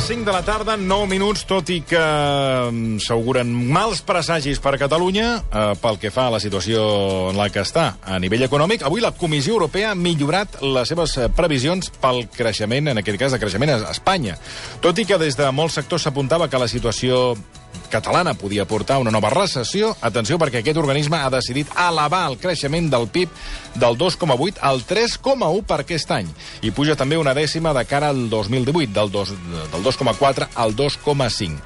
5 de la tarda, 9 minuts, tot i que s'auguren mals presagis per a Catalunya pel que fa a la situació en la que està a nivell econòmic. Avui la Comissió Europea ha millorat les seves previsions pel creixement, en aquest cas de creixement a Espanya. Tot i que des de molts sectors s'apuntava que la situació catalana podia portar una nova recessió, atenció, perquè aquest organisme ha decidit elevar el creixement del PIB del 2,8 al 3,1 per aquest any. I puja també una dècima de cara al 2018, del 2,4 al 2,5.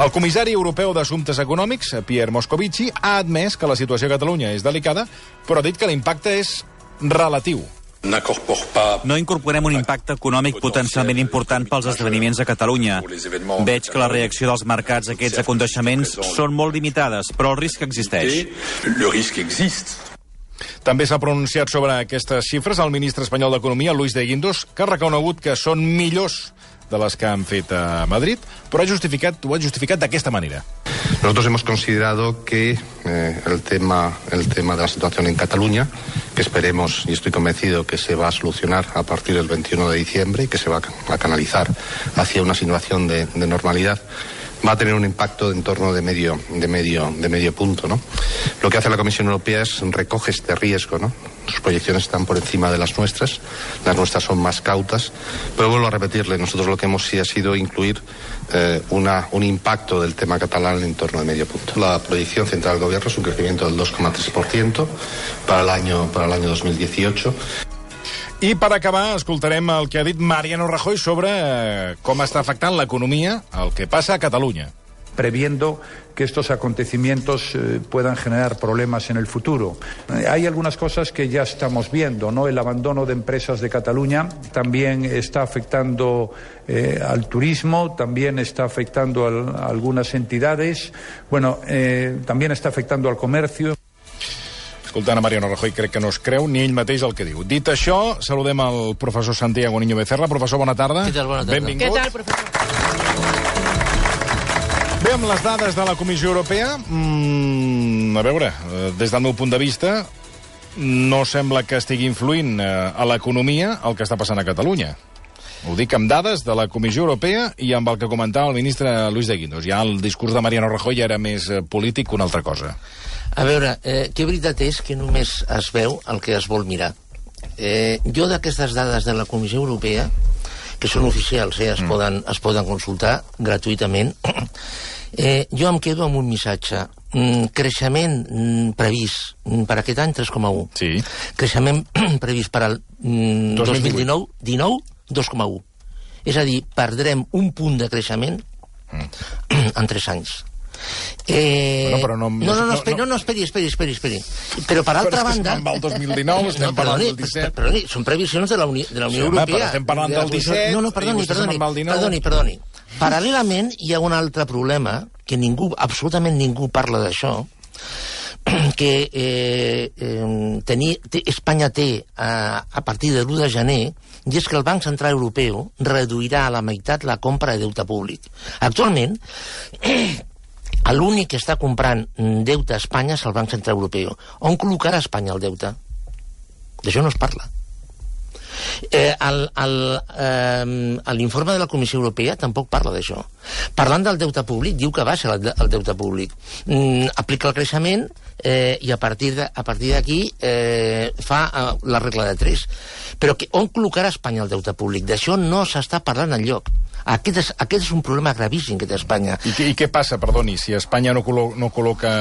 El comissari europeu d'Assumptes Econòmics, Pierre Moscovici, ha admès que la situació a Catalunya és delicada, però ha dit que l'impacte és relatiu. No incorporem un impacte econòmic potencialment important pels esdeveniments a Catalunya. Veig que la reacció dels mercats a aquests aconteixements són molt limitades, però el risc existeix. També s'ha pronunciat sobre aquestes xifres el ministre espanyol d'Economia, Luis de Guindos, que ha reconegut que són millors de les que han fet a Madrid, però ho ha justificat d'aquesta manera. Nosotros hemos considerado que el tema de la situación en Cataluña, que esperemos y estoy convencido que se va a solucionar a partir del 21 de diciembre y que se va a canalizar hacia una situación de normalidad, va a tener un impacto en torno de medio punto, ¿no? Lo que hace la Comisión Europea es recoge este riesgo, ¿no? Sus proyecciones están por encima de las nuestras son más cautas, pero vuelvo a repetirle, nosotros lo que hemos sí ha sido incluir un impacto del tema catalán en torno de medio punto. La proyección central del gobierno es un crecimiento del 2,3% para el año 2018. I per acabar, escoltarem el que ha dit Mariano Rajoy sobre com està afectant l'economia, el que passa a Catalunya. Previendo que estos acontecimientos puedan generar problemas en el futuro. Hay algunas cosas que ya estamos viendo, ¿no? El abandono de empresas de Cataluña también está afectando al turismo, también está afectando a algunas entidades, también está afectando al comercio. Escoltant a Mariano Rajoy, crec que no es creu ni ell mateix el que diu. Dit això, saludem al professor Santiago Niño Becerra. Professor, bona tarda. Què tal, bona tarda? Benvingut. Què tal, professor? Bé, amb les dades de la Comissió Europea, a veure, des del meu punt de vista, no sembla que estigui influint a l'economia el que està passant a Catalunya. Ho dic amb dades de la Comissió Europea i amb el que comentava el ministre Luis de Guindos. Ja el discurs de Mariano Rajoy era més polític que una altra cosa. A veure, que veritat és que només es veu el que es vol mirar. Jo d'aquestes dades de la Comissió Europea, que són oficials, es poden consultar gratuïtament, jo em quedo amb un missatge. Creixement previst per aquest any 3,1. Sí. Creixement previst per al 2019, 2,1. És a dir, perdrem un punt de creixement en 3 anys. Però esperi. Però per altra banda... Estem amb el 2019, estem parlant del 17... Perdoni, són previsions de la Unió Europea. Però estem parlant del 17... Perdoni. Paral·lelament, hi ha un altre problema, que absolutament ningú parla d'això, que Espanya té a partir de l'1 de gener, i és que el Banc Central Europeu reduirà a la meitat la compra de deute públic. Actualment, l'únic que està comprant deute a Espanya és el Banc Central Europeu. On col·locarà Espanya el deute? D'això no es parla. L'informe de la Comissió Europea tampoc parla d'això. Parlant del deute públic, diu que baixa el deute públic. Aplica el creixement i a partir d'aquí fa la regla de 3. Però on col·locarà Espanya el deute públic? D'això no s'està parlant enlloc. Aquest és un problema gravíssim que té Espanya. I què passa, perdoni, si Espanya no col·loca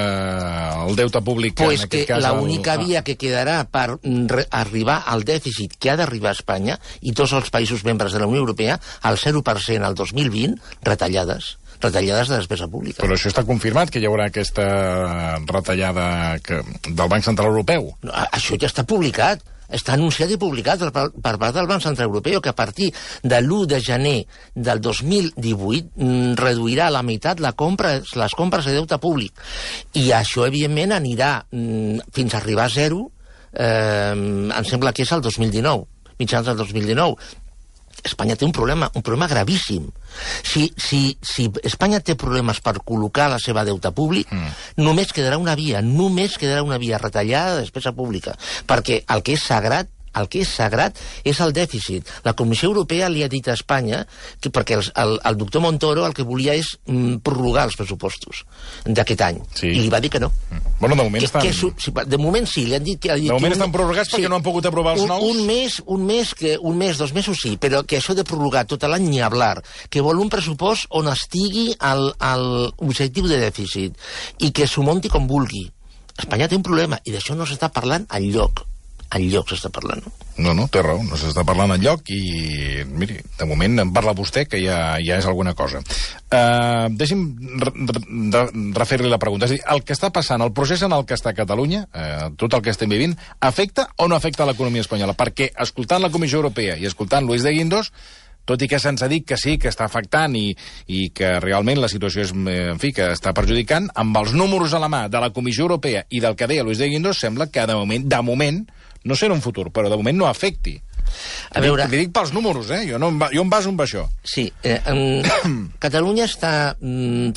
el deute públic en aquest cas... L'única via que quedarà per arribar al dèficit que ha d'arribar a Espanya i tots els països membres de la Unió Europea, al 0% al 2020, retallades de despesa pública. Però això està confirmat, que hi haurà aquesta retallada del Banc Central Europeu? Això ja està publicat. Està anunciat i publicat per part del Banc Central Europeu que a partir de l'1 de gener del 2018 reduirà a la meitat les compres de deute públic. I això, evidentment, anirà fins a arribar a 0, em sembla que és el 2019, mitjans del 2019. Espanya té un problema gravíssim. Si Espanya té problemes per col·locar la seva deute públic, només quedarà una via, retallada de despesa pública. Perquè el que és sagrat El que és sagrat és el dèficit. La Comissió Europea li ha dit a Espanya, perquè el doctor Montoro el que volia és prorrogar els pressupostos d'aquest any. I li va dir que no. Bueno, de moment estan... De moment sí, li han dit que... De moment estan prorrogats perquè no han pogut aprovar els nous? Un mes, 2 mesos sí, però que això de prorrogar tot l'any ni hablar, que vol un pressupost on estigui l'objectiu de dèficit i que s'ho munti com vulgui. Espanya té un problema i d'això no s'està parlant enlloc. Enlloc s'està parlant. No, té raó, no s'està parlant enlloc i, miri, de moment en parla vostè, que ja és alguna cosa. Deixi'm refer-li la pregunta. És a dir, el que està passant, el procés en el que està Catalunya, tot el que estem vivint, afecta o no afecta l'economia espanyola? Perquè, escoltant la Comissió Europea i escoltant Luis de Guindos, tot i que se'ns ha dit que sí, que està afectant i que realment la situació és, en fi, que està perjudicant, amb els números a la mà de la Comissió Europea i del que deia Luis de Guindos, sembla que de moment, no sé en un futur, però de moment no afecti. A veure... Li dic pels números, jo em baso en això. Sí, Catalunya està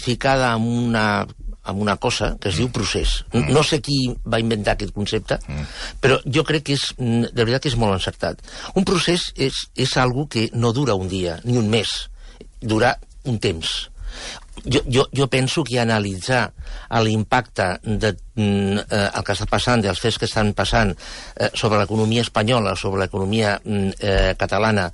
ficada en una cosa que es diu procés. No sé qui va inventar aquest concepte, però jo crec que de veritat que és molt encertat. Un procés és algo que no dura un dia, ni un mes, dura un temps. Jo penso que analitzar l'impacte del que està passant, dels fets que estan passant sobre l'economia espanyola, sobre l'economia catalana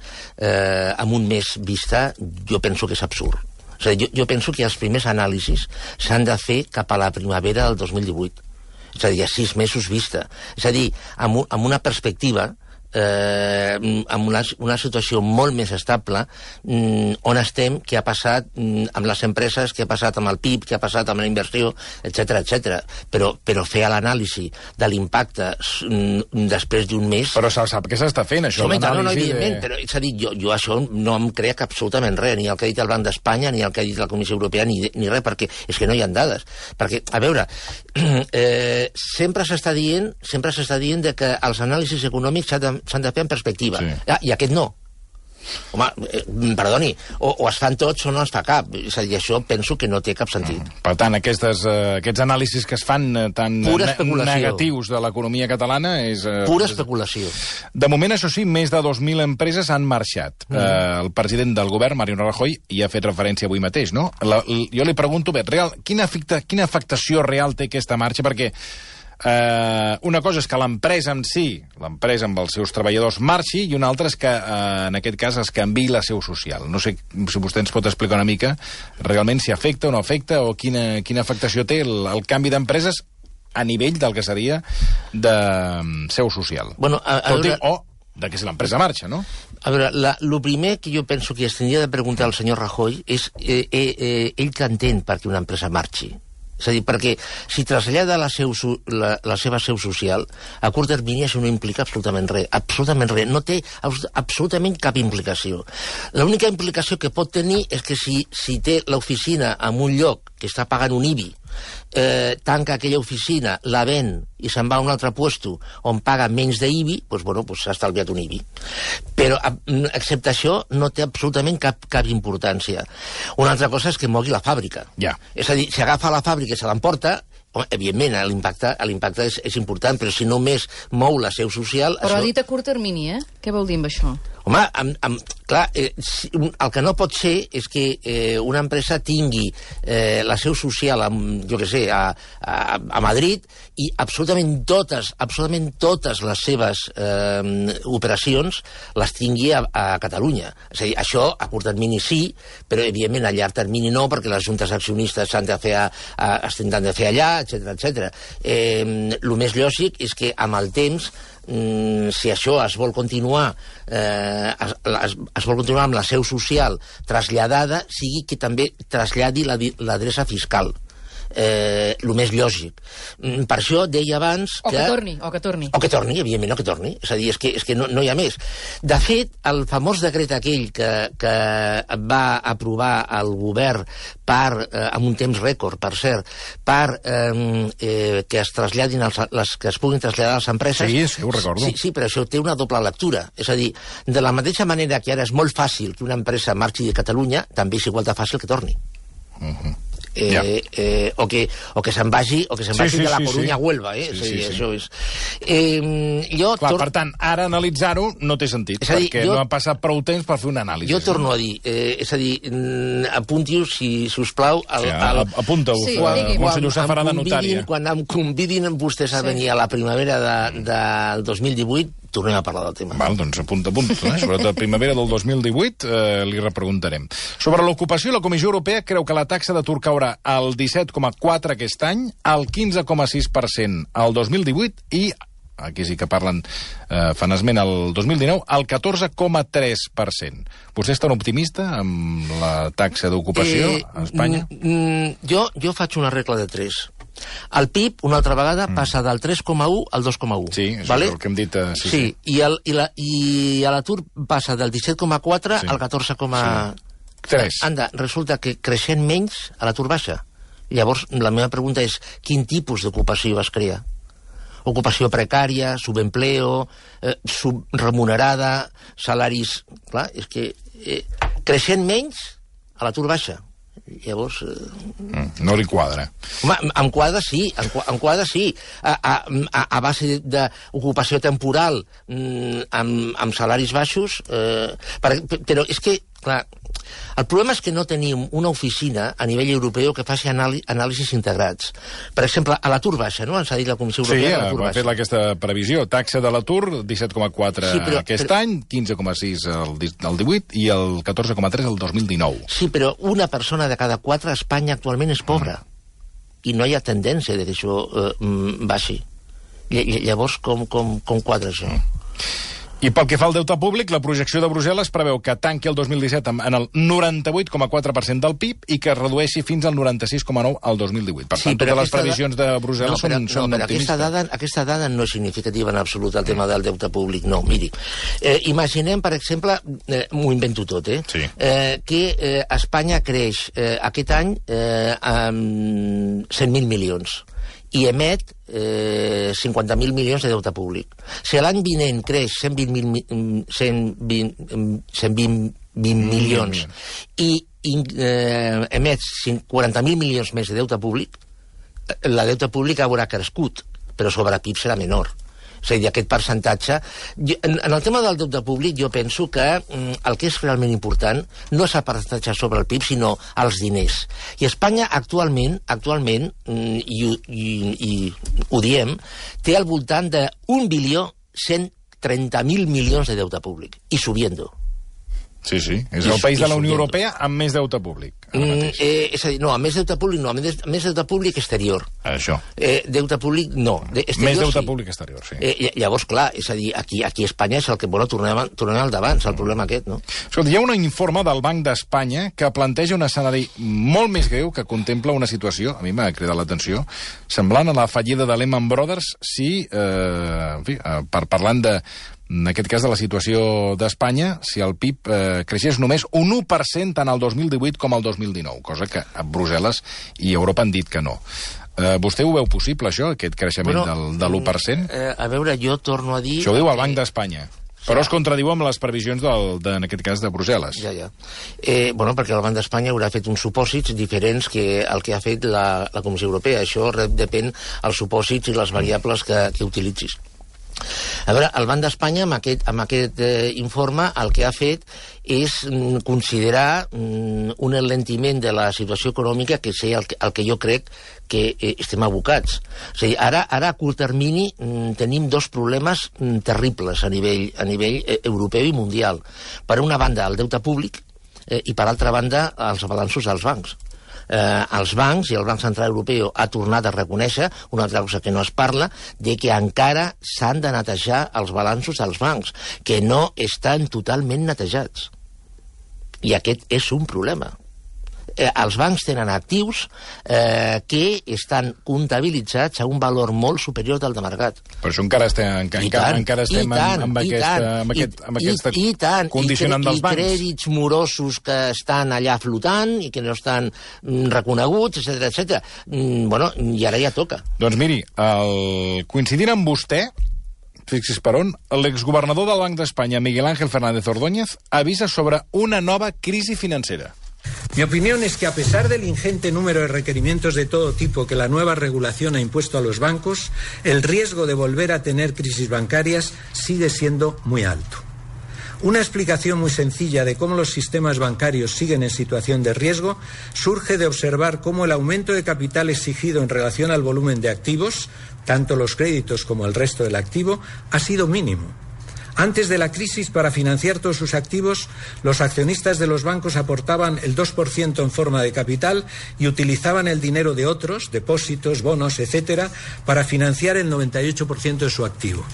amb un mes vista, jo penso que és absurd. És a dir, jo penso que els primers anàlisis s'han de fer cap a la primavera del 2018. És a dir, a 6 mesos vista. És a dir, amb una perspectiva amb una situació molt més estable on estem, què ha passat amb les empreses, què ha passat amb el PIB, què ha passat amb la inversió, etc. Però fer l'anàlisi de l'impacte després d'un mes... Però sap què s'està fent, això? No, evidentment, però és a dir, jo això no em crec absolutament res, ni el que ha dit el Banc d'Espanya, ni el que ha dit la Comissió Europea, ni res, perquè és que no hi ha dades. Perquè, a veure, sempre s'està dient que els anàlisis econòmics s'han de fer en perspectiva. Sí. I aquest no. Home, perdoni, o es fan tots o no es fa cap. És a dir, això penso que no té cap sentit. Per tant, aquests anàlisis que es fan tan negatius de l'economia catalana és... Pura especulació. De moment, això sí, més de 2.000 empreses han marxat. El president del govern, Mariano Rajoy, hi ha fet referència avui mateix, no? Jo li pregunto, bé, quina afectació real té aquesta marxa? Perquè una cosa és que l'empresa en si, l'empresa amb els seus treballadors, marxi, i una altra és que, en aquest cas, es canviï la seu social. No sé si vostè ens pot explicar una mica realment si afecta o no afecta, o quina afectació té el canvi d'empreses a nivell del que seria de seu social. Bueno, o de que si l'empresa marxa, no? A veure, el primer que jo penso que es tindria de preguntar al senyor Rajoy és ell que entén perquè una empresa marxi. És a dir, perquè si trasllada la seva seu social, a curt termini això no implica absolutament res, no té absolutament cap implicació. L'única implicació que pot tenir és que si té l'oficina en un lloc que està pagant un IBI, tanca aquella oficina, la ven i se'n va a un altre puesto on paga menys d'IBI, doncs s'ha estalviat un IBI. Però, excepte això, no té absolutament cap importància. Una altra cosa és que mogui la fàbrica. Ja. És a dir, si agafa la fàbrica i se l'emporta, evidentment, l'impacte és important, però si només mou la seu social... Però ha dit a curt termini, Què vol dir amb això? Home, clar, el que no pot ser és que una empresa tingui la seu social, jo què sé, a Madrid, i absolutament totes les seves operacions les tingui a Catalunya. És a dir, això a curt termini sí, però evidentment a llarg termini no, perquè les juntes accionistes s'han de fer allà, etc. El més lògic és que amb el temps, si això es vol continuar amb la seu social traslladada, sigui que també traslladi l'adreça fiscal. El més lògic. Per això deia abans que... O que torni, evidentment, que torni. És a dir, és que no hi ha més. De fet, el famós decret aquell que va aprovar el govern amb un temps rècord, per cert, que es traslladin que es puguin traslladar a les empreses... Sí, ho recordo. Sí, però això té una doble lectura. És a dir, de la mateixa manera que ara és molt fàcil que una empresa marxi de Catalunya, també és igual de fàcil que torni. o que se'n vagi de la Corunya a Huelva, això és. Per tant, ara analitzar-ho no té sentit, perquè no ha passat prou temps per fer una anàlisi. Jo torno a dir, és a dir, apunti-ho, si us plau... Apunta-ho, Monsenyor Safarà de notària. Quan em convidin vostès a venir a la primavera del 2018, tornem a parlar del tema. Val, doncs apunta. Sobretot primavera del 2018 li repreguntarem. Sobre l'ocupació, la Comissió Europea creu que la taxa d'atur caurà al 17,4% aquest any, al 15,6% al 2018 i, aquí sí que parlen, fan esment al 2019, al 14,3%. Vostè és tan optimista amb la taxa d'ocupació a Espanya? Jo faig una regla de 3. El PIB, una altra vegada, passa del 3,1 al 2,1. Sí, això és el que hem dit. Sí, i l'atur passa del 17,4 al 14,3. Anda, resulta que creixent menys, l'atur baixa. Llavors, la meva pregunta és, quin tipus d'ocupació es crea? Ocupació precària, subempleo, subremunerada, salaris... Clar, és que creixent menys, l'atur baixa. Llavors... No li quadra. Home, em quadra sí. A base d'ocupació temporal amb salaris baixos, però és que, clar, el problema és que no tenim una oficina a nivell europeu que faci anàlisis integrats. Per exemple, a l'atur baixa, no? Ens ha dit la Comissió Europea de l'atur baixa. Sí, ha fet aquesta previsió. Taxa de l'atur, 17,4 aquest any, 15,6 el 18 i el 14,3 el 2019. Sí, però una persona de cada 4 a Espanya actualment és pobra. I no hi ha tendència que això baixi. Llavors, com quadra això? I pel que fa al deute públic, la projecció de Brussel·les preveu que tanqui el 2017 en el 98,4% del PIB i que es redueixi fins al 96,9% al 2018. Per tant, totes les previsions de Brussel·les són optimistes. Aquesta dada no és significativa en absolut, el tema del deute públic. No, miri, imaginem, per exemple, m'ho invento tot, que Espanya creix aquest any amb 100.000 milions i emet 50.000 milions de deute públic. Si l'any vinent creix 120 milions i emet 40.000 milions més de deute públic, la deute públic haurà crescut, però sobre PIB serà menor. És a dir, aquest percentatge... En el tema del deute públic jo penso que el que és realment important no és el percentatge sobre el PIB, sinó els diners. I Espanya actualment, i ho diem, té al voltant de 1.130.000 milions de deute públic, i subiendo. Sí, és el país de la Unió Europea amb més deute públic. És a dir, no, amb més deute públic no, amb més deute públic exterior. Això. Deute públic no. Més deute públic exterior, sí. Llavors, clar, és a dir, aquí a Espanya és el que... Bueno, tornem al davant, és el problema aquest, no? Escolta, hi ha un informe del Banc d'Espanya que planteja un escenari molt més greu que contempla una situació, a mi m'ha cridat l'atenció, semblant a la fallida de Lehman Brothers si, en fi, parlant de... En aquest cas de la situació d'Espanya, si el PIB creixés només un 1% tant al 2018 com al 2019, cosa que a Brussel·les i Europa han dit que no. Vostè ho veu possible, això, aquest creixement de l'1%? A veure, jo torno a dir... Això ho diu el Banc d'Espanya. Però es contradiu amb les previsions, en aquest cas, de Brussel·les. Ja. Perquè el Banc d'Espanya haurà fet uns supòsits diferents que el que ha fet la Comissió Europea. Això depèn dels supòsits i les variables que utilitzis. A veure, el Banc d'Espanya amb aquest informe el que ha fet és considerar un enlentiment de la situació econòmica que és el que jo crec que estem abocats. És a dir, ara a curt termini tenim dos problemes terribles a nivell europeu i mundial. Per una banda, el deute públic i per altra banda, els balanços dels bancs. Els bancs i el Banc Central Europeu ha tornat a reconèixer, una altra cosa que no es parla, de que encara s'han de netejar els balanços dels bancs, que no estan totalment netejats. I aquest és un problema. Els bancs tenen actius que estan comptabilitzats a un valor molt superior del de mercat. Per això encara estem amb aquesta condicionant dels bancs. I crèdits morosos que estan allà flotant i que no estan reconeguts, etc. I ara ja toca. Doncs miri, coincidint amb vostè, fixi's per on, l'exgovernador del Banc d'Espanya, Miguel Ángel Fernández Ordóñez, avisa sobre una nova crisi financera. Mi opinión es que a pesar del ingente número de requerimientos de todo tipo que la nueva regulación ha impuesto a los bancos, el riesgo de volver a tener crisis bancarias sigue siendo muy alto. Una explicación muy sencilla de cómo los sistemas bancarios siguen en situación de riesgo surge de observar cómo el aumento de capital exigido en relación al volumen de activos, tanto los créditos como el resto del activo, ha sido mínimo. Antes de la crisis, para financiar todos sus activos, los accionistas de los bancos aportaban el 2% en forma de capital y utilizaban el dinero de otros, depósitos, bonos, etcétera, para financiar el 98% de su activo.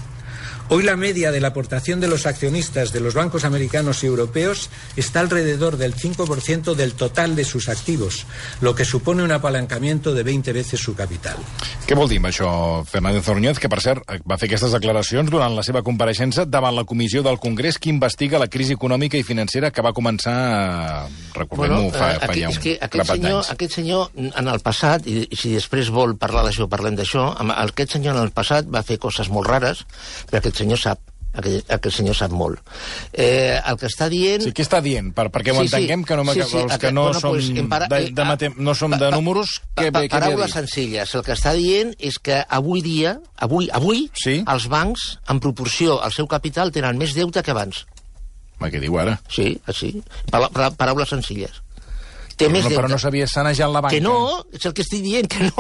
Hoy la media de la aportación de los accionistas de los bancos americanos y europeos está alrededor del 5% del total de sus activos, lo que supone un apalancamiento de 20 veces su capital. Què vol dir amb això, Fernández Ordóñez, que, per cert, va fer aquestes declaracions durant la seva compareixença davant la comissió del Congrés que investiga la crisi econòmica i financera que va començar, recordem-ho, fa ja un grapat d'anys. Aquest senyor, en el passat, i si després vol parlar d'això, parlem d'això, aquest senyor en el passat va fer coses molt rares, però aquest senyor sap molt. El que està dient... Sí, què està dient? Perquè ho entenguem, que no som de números... Paraules senzilles. El que està dient és que avui dia, els bancs, en proporció al seu capital, tenen més deute que abans. Què diu ara? Sí, així. Paraules senzilles. Té més deute. Però no s'havia sanejat la banca. Que no, és el que estic dient, que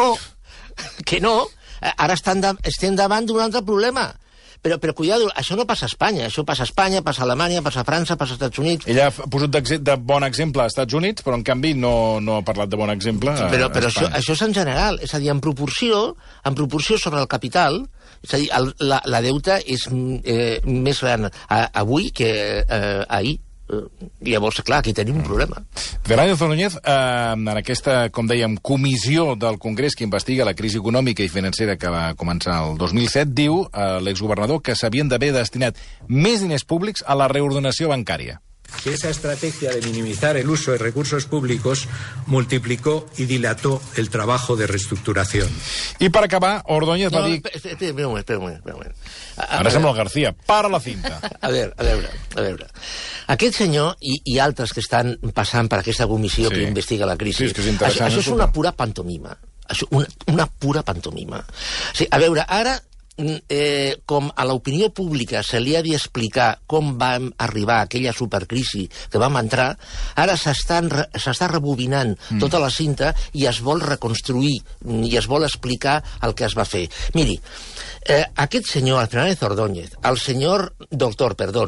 no. Ara estem davant d'un altre problema. Però cuidado, això no passa a Espanya. Això passa a Espanya, passa a Alemanya, passa a França, passa als Estats Units. Ella ha posat de bon exemple als Estats Units, però en canvi no ha parlat de bon exemple a Espanya. Però això és en general. És a dir, en proporció sobre el capital, és a dir, la deuta és més gran avui que ahir. Llavors, clar, aquí tenim un problema. Fernández Ordóñez, en aquesta, com dèiem, comissió del Congrés que investiga la crisi econòmica i financera que va començar el 2007, diu l'exgovernador que s'havien d'haver destinat més diners públics a la reordenació bancària. Que esa estrategia de minimizar el uso de recursos públicos multiplicó y dilató el trabajo de reestructuración. I per acabar, Ordóñez va dir... Espera un moment. Ara sembla el García. Para la cinta. A veure. Aquest senyor i altres que estan passant per aquesta comissió que investiga la crisi, això és una pura pantomima. Una pura pantomima. A veure, ara... com a l'opinió pública se li ha d'explicar com vam arribar a aquella supercrisi que vam entrar, ara s'està rebobinant tota la cinta i es vol reconstruir i es vol explicar el que es va fer. Miri, aquest senyor, el Fernández Ordóñez, el senyor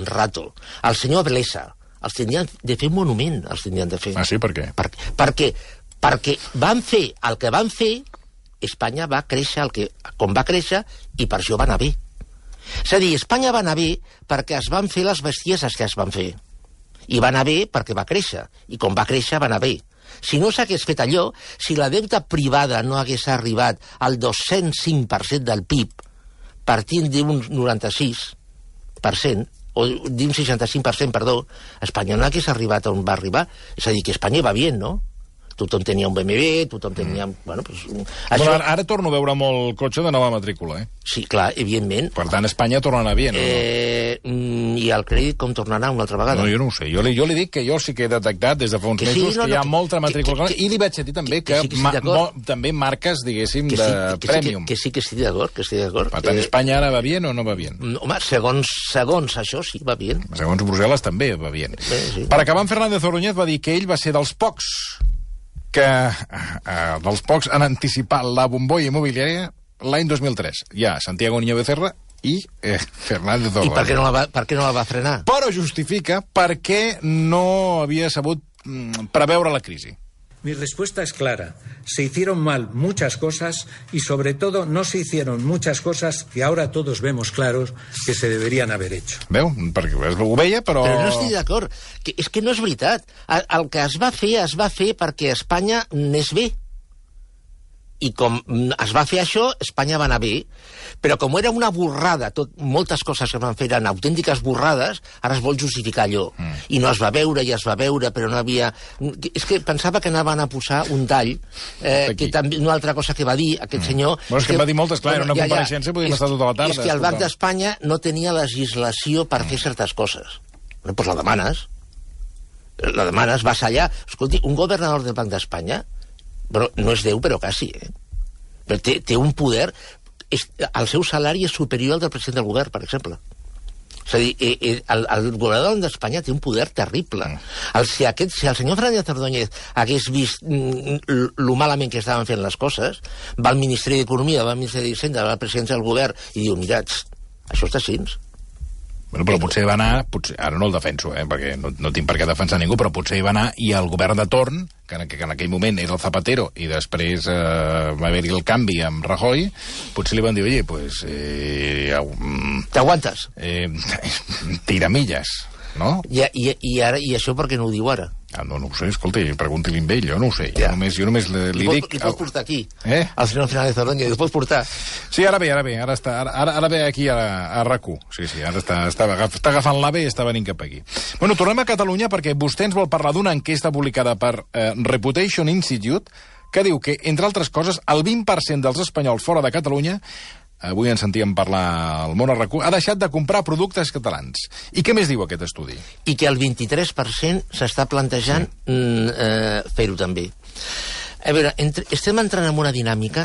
Rato, el senyor Blesa, els tindrien de fer un monument, els tindrien de fer. Ah, sí? Per què? Perquè van fer el que van fer. Espanya va créixer com va créixer i per això va anar bé. És a dir, Espanya va anar bé perquè es van fer les bestieses que es van fer. I va anar bé perquè va créixer. I com va créixer va anar bé. Si no s'hagués fet allò, si la deuta privada no hagués arribat al 205% del PIB, partint d'un 96%, o d'un 65%, perdó, Espanya no hagués arribat on va arribar. És a dir, que Espanya va bé, no? Tothom tenia un BMW, tothom tenia... Bueno, això... Ara torno a veure molt cotxe de nova matrícula, Sí, clar, evidentment. Per tant, Espanya torna a anar bé, no? I el crèdit com tornarà una altra vegada? No, jo no ho sé. Jo li dic que jo sí que he detectat des de fa uns mesos que hi ha molta matrícula. I li vaig dir també que també marques, diguéssim, de prèmium. Que sí que estic d'acord, Per tant, Espanya ara va bé o no va bé? Home, segons això sí, va bé. Segons Brussel·les també va bé. Per acabar, Fernández Ordóñez va dir que ell va ser dels pocs han anticipat la bombolla immobiliària l'any 2003. Hi ha Santiago Niño Becerra i Fernández Ordóñez. I per què no la va frenar? Però justifica per què no havia sabut preveure la crisi. Mi respuesta es clara. Se hicieron mal muchas cosas y, sobre todo, no se hicieron muchas cosas que ahora todos vemos claros que se deberían haber hecho. Veu? Perquè ho veia, però... Però no estic d'acord. És que no és veritat. El que es va fer perquè Espanya anés bé. I com es va fer això, Espanya va anar bé. Però com era una borrada, moltes coses que van fer eren autèntiques borrades, ara es vol justificar allò. I no es va veure, i es va veure, però no havia... És que pensava que anaven a posar un tall, que també una altra cosa que va dir aquest senyor... Bueno, és que va dir moltes, clar, era una compareixença, podíem estar tota la tarda. És que el Banc d'Espanya no tenia legislació per fer certes coses. Doncs la demanes. La demanes, vas allà... Escolti, un governador del Banc d'Espanya, però no és Déu, però quasi, però té un poder... El seu salari és superior al del president del govern, per exemple. És a dir, el governador d'Espanya té un poder terrible. Si el senyor Fernández Ordóñez hagués vist lo malament que estaven fent les coses, va al Ministeri d'Economia, va al Ministeri d'Hisenda, va a la presidència del govern i diu, mira, això està així. Bueno, però potser va anar, ara no el defenso, perquè no tinc per què defensar ningú, però potser hi va anar i el govern de torn, que en aquell moment era el Zapatero, i després va haver-hi el canvi amb Rajoy, potser li van dir, oye, pues... T'aguantes? Tiramilles, no? I això per què no ho diu ara? No ho sé, escolta, pregunti-li amb ell, jo no ho sé. Jo només li dic... Li pots portar aquí, al senyor Fernández Ordóñez, li pots portar. Sí, ara ve, ara ve aquí a RAC1. Sí, ara està agafant l'AVE i està venint cap aquí. Bueno, tornem a Catalunya perquè vostè ens vol parlar d'una enquesta publicada per Reputation Institute que diu que, entre altres coses, el 20% dels espanyols fora de Catalunya, avui en sentíem parlar al món a RAC1, ha deixat de comprar productes catalans. I què més diu aquest estudi? I que el 23% s'està plantejant fer-ho també. A veure, estem entrant en una dinàmica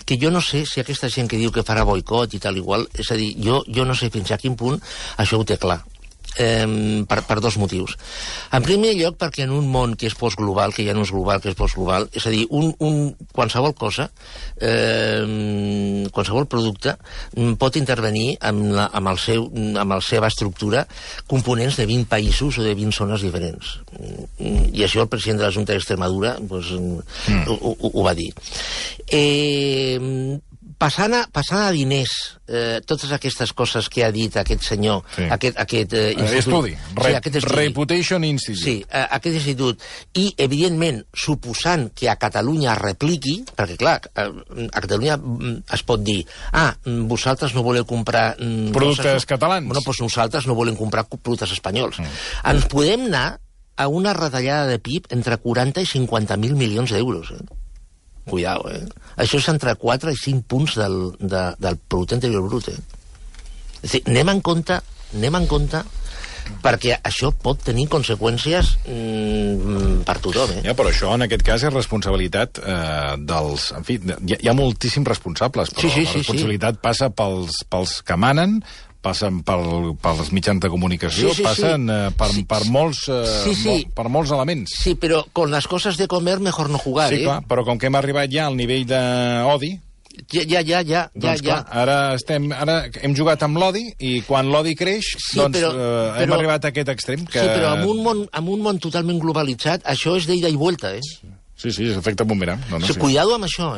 que jo no sé si aquesta gent que diu que farà boicot i tal igual, és a dir, jo no sé fins a quin punt això ho té clar. Per dos motius. En primer lloc, perquè en un món que és postglobal, que ja no és global, que és postglobal, és a dir, qualsevol cosa, qualsevol producte pot intervenir amb la seva estructura components de 20 països o de 20 zones diferents. I això el president de la Junta d'Extremadura ho va dir. Passant a diners, totes aquestes coses que ha dit aquest senyor, aquest estudi, Reputation Institute. Sí, aquest institut. I, evidentment, suposant que a Catalunya es repliqui, perquè, clar, a Catalunya es pot dir vosaltres no voleu comprar... productes catalans. Bueno, doncs nosaltres no volem comprar productes espanyols. Ens podem anar a una retallada de PIB entre 40 i 50.000 milions d'euros, Cuidao, Això és entre 4 i 5 punts del producte interior brut, És a dir, anem en compte perquè això pot tenir conseqüències per tothom, Però això, en aquest cas, és responsabilitat dels... En fi, hi ha moltíssims responsables, però la responsabilitat passa pels que manen, passen pels mitjans de comunicació, passen per molts elements. Sí, però con las cosas de comer mejor no jugar, Sí, clar, però com que hem arribat ja al nivell d'odi... Ja. Doncs clar, ara hem jugat amb l'odi i quan l'odi creix, hem arribat a aquest extrem. Sí, però en un món totalment globalitzat, això és d'ida i vuelta, Sí, és efecte bumerang. Cuidado amb això,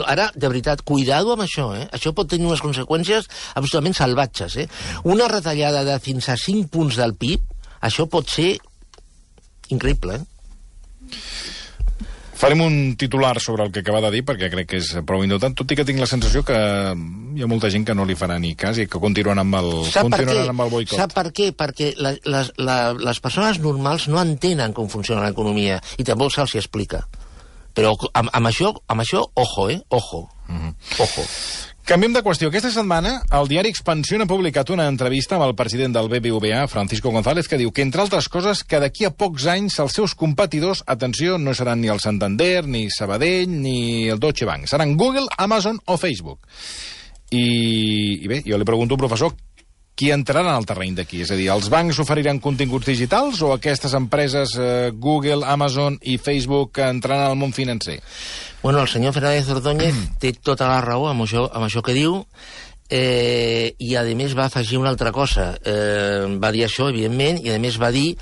Ara, de veritat, cuidado amb això, Això pot tenir unes conseqüències absolutament salvatges, Una retallada de fins a 5 punts del PIB, això pot ser increïble, Farem un titular sobre el que acaba de dir, perquè crec que és prou indultant, tot i que tinc la sensació que hi ha molta gent que no li farà ni cas i que continuaran amb el boicot. Sap per què? Perquè les persones normals no entenen com funciona l'economia i tampoc se'ls explica. Però amb això, ojo, Ojo. Canviem de qüestió. Aquesta setmana el diari Expansión ha publicat una entrevista amb el president del BBVA, Francisco González, que diu que, entre altres coses, que d'aquí a pocs anys els seus competidors, atenció, no seran ni el Santander, ni Sabadell, ni el Deutsche Bank. Seran Google, Amazon o Facebook. I bé, jo li pregunto, professor, qui entrarà en el terreny d'aquí? És a dir, els bancs oferiran continguts digitals o aquestes empreses, Google, Amazon i Facebook, entraran al món financer? Bueno, el senyor Fernández Ordóñez té tota la raó amb això que diu, i a més va afegir una altra cosa. Va dir això, evidentment, i a més va dir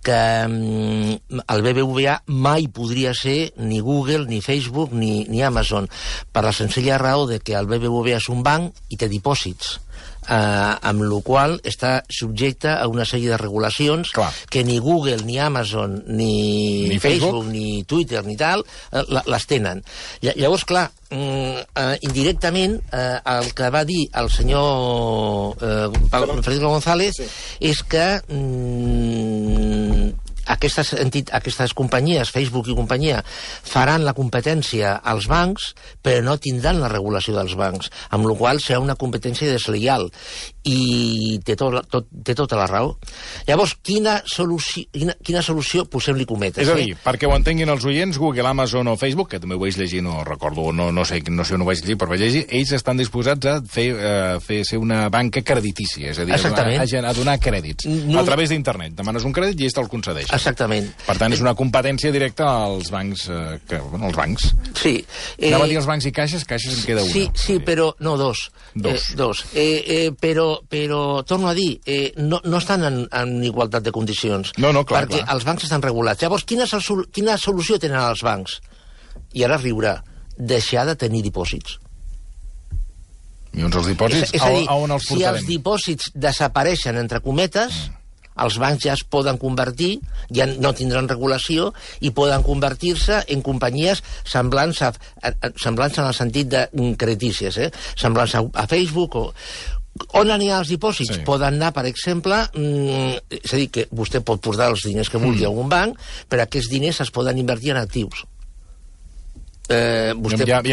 que el BBVA mai podria ser ni Google, ni Facebook, ni Amazon, per la senzilla raó de que el BBVA és un banc i té dipòsits. Amb la qual està subjecte a una sèrie de regulacions que ni Google, ni Amazon, ni Facebook, ni Twitter, ni tal, les tenen. Llavors, clar, indirectament, el que va dir el senyor Francisco González és que aquestes companyies, Facebook i companyia, faran la competència als bancs, però no tindran la regulació dels bancs, amb la qual serà una competència deslleial. I té tota la raó. Llavors, quina solució posem-li cometes? És a dir, perquè ho entenguin els oients, Google, Amazon o Facebook, que també ho vaig llegir, no recordo, no sé on ho vaig llegir, però vaig llegir, ells estan disposats a ser una banca creditícia, és a dir, a donar crèdits a través d'internet. Demanes un crèdit i ells te'l concedeixen. Exactament. Per tant, és una competència directa als bancs. Els bancs. Sí. Anava a dir els bancs i caixes en queda una. Sí, però... No, dos. Però torno a dir, no estan en igualtat de condicions. No, clar. Perquè els bancs estan regulats. Llavors, quina solució tenen els bancs? I ara riurà. Deixar de tenir dipòsits. I on els dipòsits? És a dir, on els portarem? si els dipòsits desapareixen, entre cometes, els bancs ja es poden convertir, ja no tindran regulació, i poden convertir-se en companyies semblants en el sentit de creditícies, semblants a Facebook o... On aniran els dipòsits? Sí. Poden anar, per exemple, és a dir, que vostè pot portar els diners que vulgui a algun banc, però aquests diners es poden invertir en actius. Ja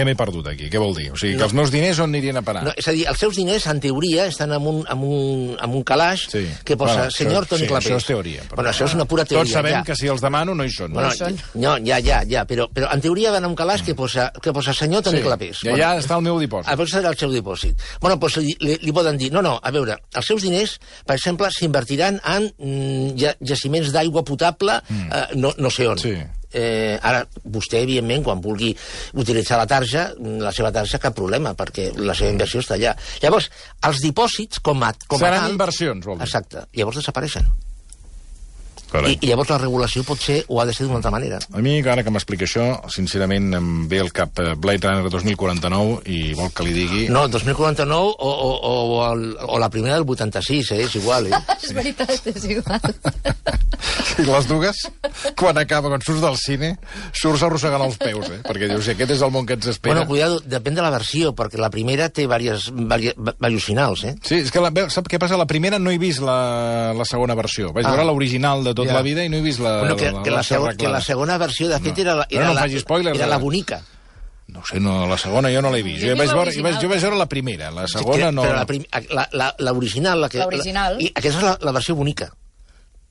m'he perdut aquí, què vol dir? O sigui, que els meus diners on anirien a parar? No, és a dir, els seus diners, en teoria, estan en un calaix que posa senyor Toni Clapés. Això és teoria. Bueno, això és una pura teoria. Tots sabem que si els demano no hi són. No, ja, però en teoria van a un calaix que posa senyor Toni Clapés. I allà està el meu dipòsit. A veure, serà el seu dipòsit. Bueno, doncs li poden dir, no, a veure, els seus diners, per exemple, s'invertiran en jaciments d'aigua potable, no sé on. Sí. Ara, vostè, evidentment, quan vulgui utilitzar la seva tarja, cap problema, perquè la seva inversió està allà. Llavors, els dipòsits, com a seran inversions, vol dir. Exacte. Llavors desapareixen. I llavors la regulació pot ser, o ha de ser d'una altra manera. A mi, ara que m'explica això, sincerament em ve al cap Blade Runner 2049 i vol que li digui... No, 2049 o la primera del 86, és igual. És veritat, és igual. I les dues, quan surts del cine, surts arrossegant els peus, perquè dius, aquest és el món que ens espera. Bueno, cuidado, depèn de la versió, perquè la primera té diversos finals, Sí, és que sap què passa? La primera no he vist la segona versió. Vaig veure l'original de tota la vida i no he vist que la segona versió, de fet, era la bonica. No sé, la segona jo no l'he vist. Jo vaig veure la primera, la segona no... Però l'original... I aquesta és la versió bonica.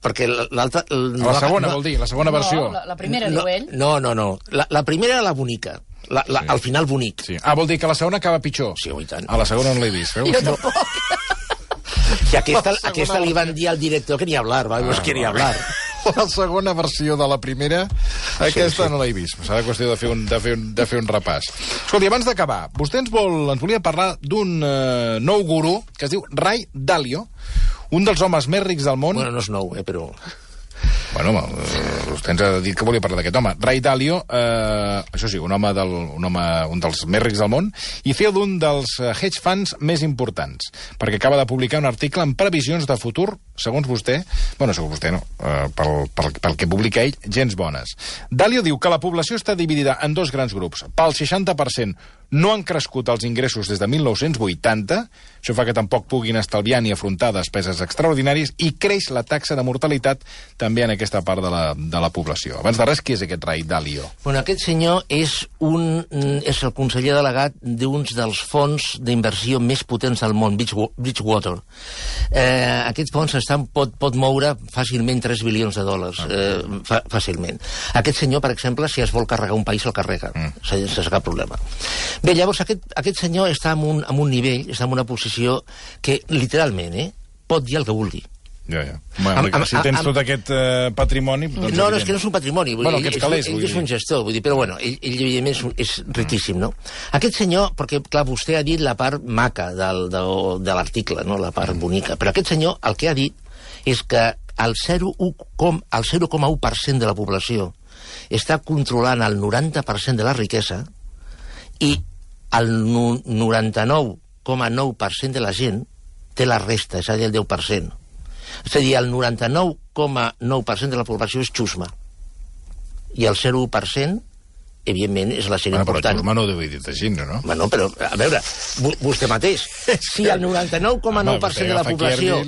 Perquè l'altra... La segona, vol dir, la segona versió. No, la primera, diu ell. No. La primera era la bonica. Al final bonic. Vol dir que la segona acaba pitjor. Sí, i tant. A la segona no l'he vist, veus? Jo tampoc. I aquesta li van dir al director que ni hablar, no quería hablar. La segona versió de la primera, aquesta no l'he vist. Serà qüestió de fer un repàs. Escolti, abans d'acabar, vostè ens volia parlar d'un nou gurú que es diu Ray Dalio, un dels homes més rics del món... Bueno, no és nou, però... Bueno, vostè ens ha dit que volia parlar d'aquest home. Ray Dalio, això sí, un dels més rics del món, i CEO d'un dels hedge funds més importants, perquè acaba de publicar un article amb previsions de futur, segons vostè, pel que publica ell, gens bones. Dalio diu que la població està dividida en dos grans grups. Pel 60% no han crescut els ingressos des de 1980, això fa que tampoc puguin estalviar ni afrontar despeses extraordinàries, i creix la taxa de mortalitat també en aquesta part de la població. Abans de res, qui és aquest Ray Dalio? Bueno, aquest senyor és el conseller delegat d'uns dels fons d'inversió més potents del món, Bridgewater. Aquest fons pot moure fàcilment $3 bilions, fàcilment. Aquest senyor, per exemple, si es vol carregar un país, el carrega, sense cap problema. Bé, llavors, aquest senyor està en un nivell, està en una posició que, literalment, pot dir el que vulgui. Ja. Bueno, si tens tot aquest patrimoni... Doncs no, és que no és un patrimoni. Aquests calés, ell és un gestor, però bueno, ell evidentment és riquíssim, no? Aquest senyor, perquè, clar, vostè ha dit la part maca de l'article, no? La part bonica, però aquest senyor el que ha dit és que el 0,1% de la població està controlant el 90% de la riquesa i el 99,9% de la gent té la resta, és a dir, el 10%. És a dir, el 99,9% de la població és xusma. I el 0,1%, evidentment, és la gent important. Però xusma no ho deu dir així, no? Bueno, però, a veure, vostè mateix, si el 99,9% de la població...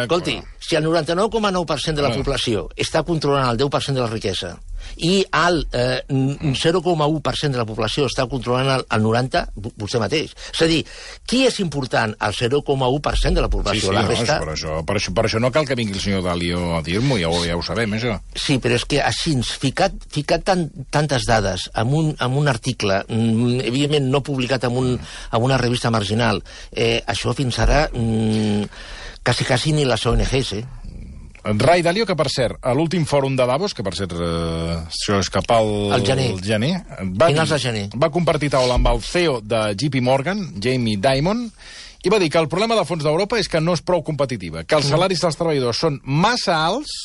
Escolti, Si el 99,9% de la població està controlant el 10% de la riquesa i el 0,1% de la població està controlant el 90%, vostè mateix. És a dir, qui és important? El 0,1% de la població. La resta... per això no cal que vingui el senyor Dalio a dir-m'ho, ja ho sabem, això. Sí, però és que així, ficat tantes dades en un article, evidentment no publicat en una revista marginal, això fins ara quasi ni les ONGs, Ray Dalio, que per cert, a l'últim fòrum de Davos, que per cert això és cap al gener, va compartir taula amb el CEO de JP Morgan, Jamie Dimon, i va dir que el problema del fons d'Europa és que no és prou competitiva, que els salaris dels treballadors són massa alts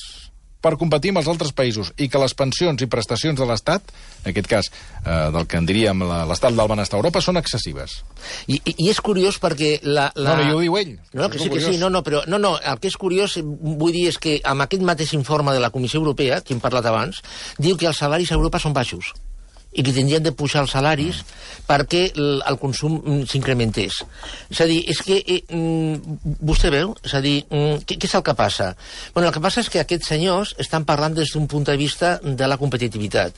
per competir amb els altres països i que les pensions i prestacions de l'Estat, en aquest cas del que en diríem l'estat del benestar a Europa, són excessives. I és curiós perquè No, jo ho diu ell. No, que sí, però el que és curiós, vull dir, és que amb aquest mateix informe de la Comissió Europea, que hem parlat abans, diu que els salaris a Europa són baixos i que tindrien de pujar els salaris perquè el consum s'incrementés. És a dir, és que vostè veu, és a dir, què és el que passa? Bueno, el que passa és que aquests senyors estan parlant des d'un punt de vista de la competitivitat.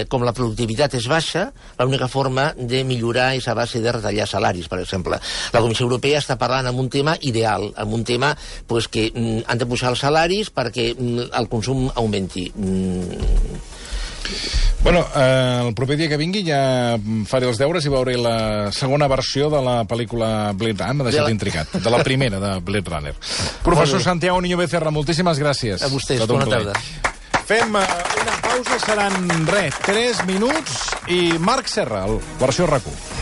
Com la productivitat és baixa, l'única forma de millorar és a base de retallar salaris, per exemple. La Comissió Europea està parlant amb un tema ideal, amb un tema que han de pujar els salaris perquè el consum augmenti. Bueno, el proper dia que vingui ja faré els deures i veuré la segona versió de la pel·lícula Blade Runner. M'ha deixat intrigat. De la primera, de Blade Runner. Professor Santiago Niño Becerra, moltíssimes gràcies. A vostès, bona tarda. Fem una pausa, seran 3 minuts, i Marc Serra, versió RAC1.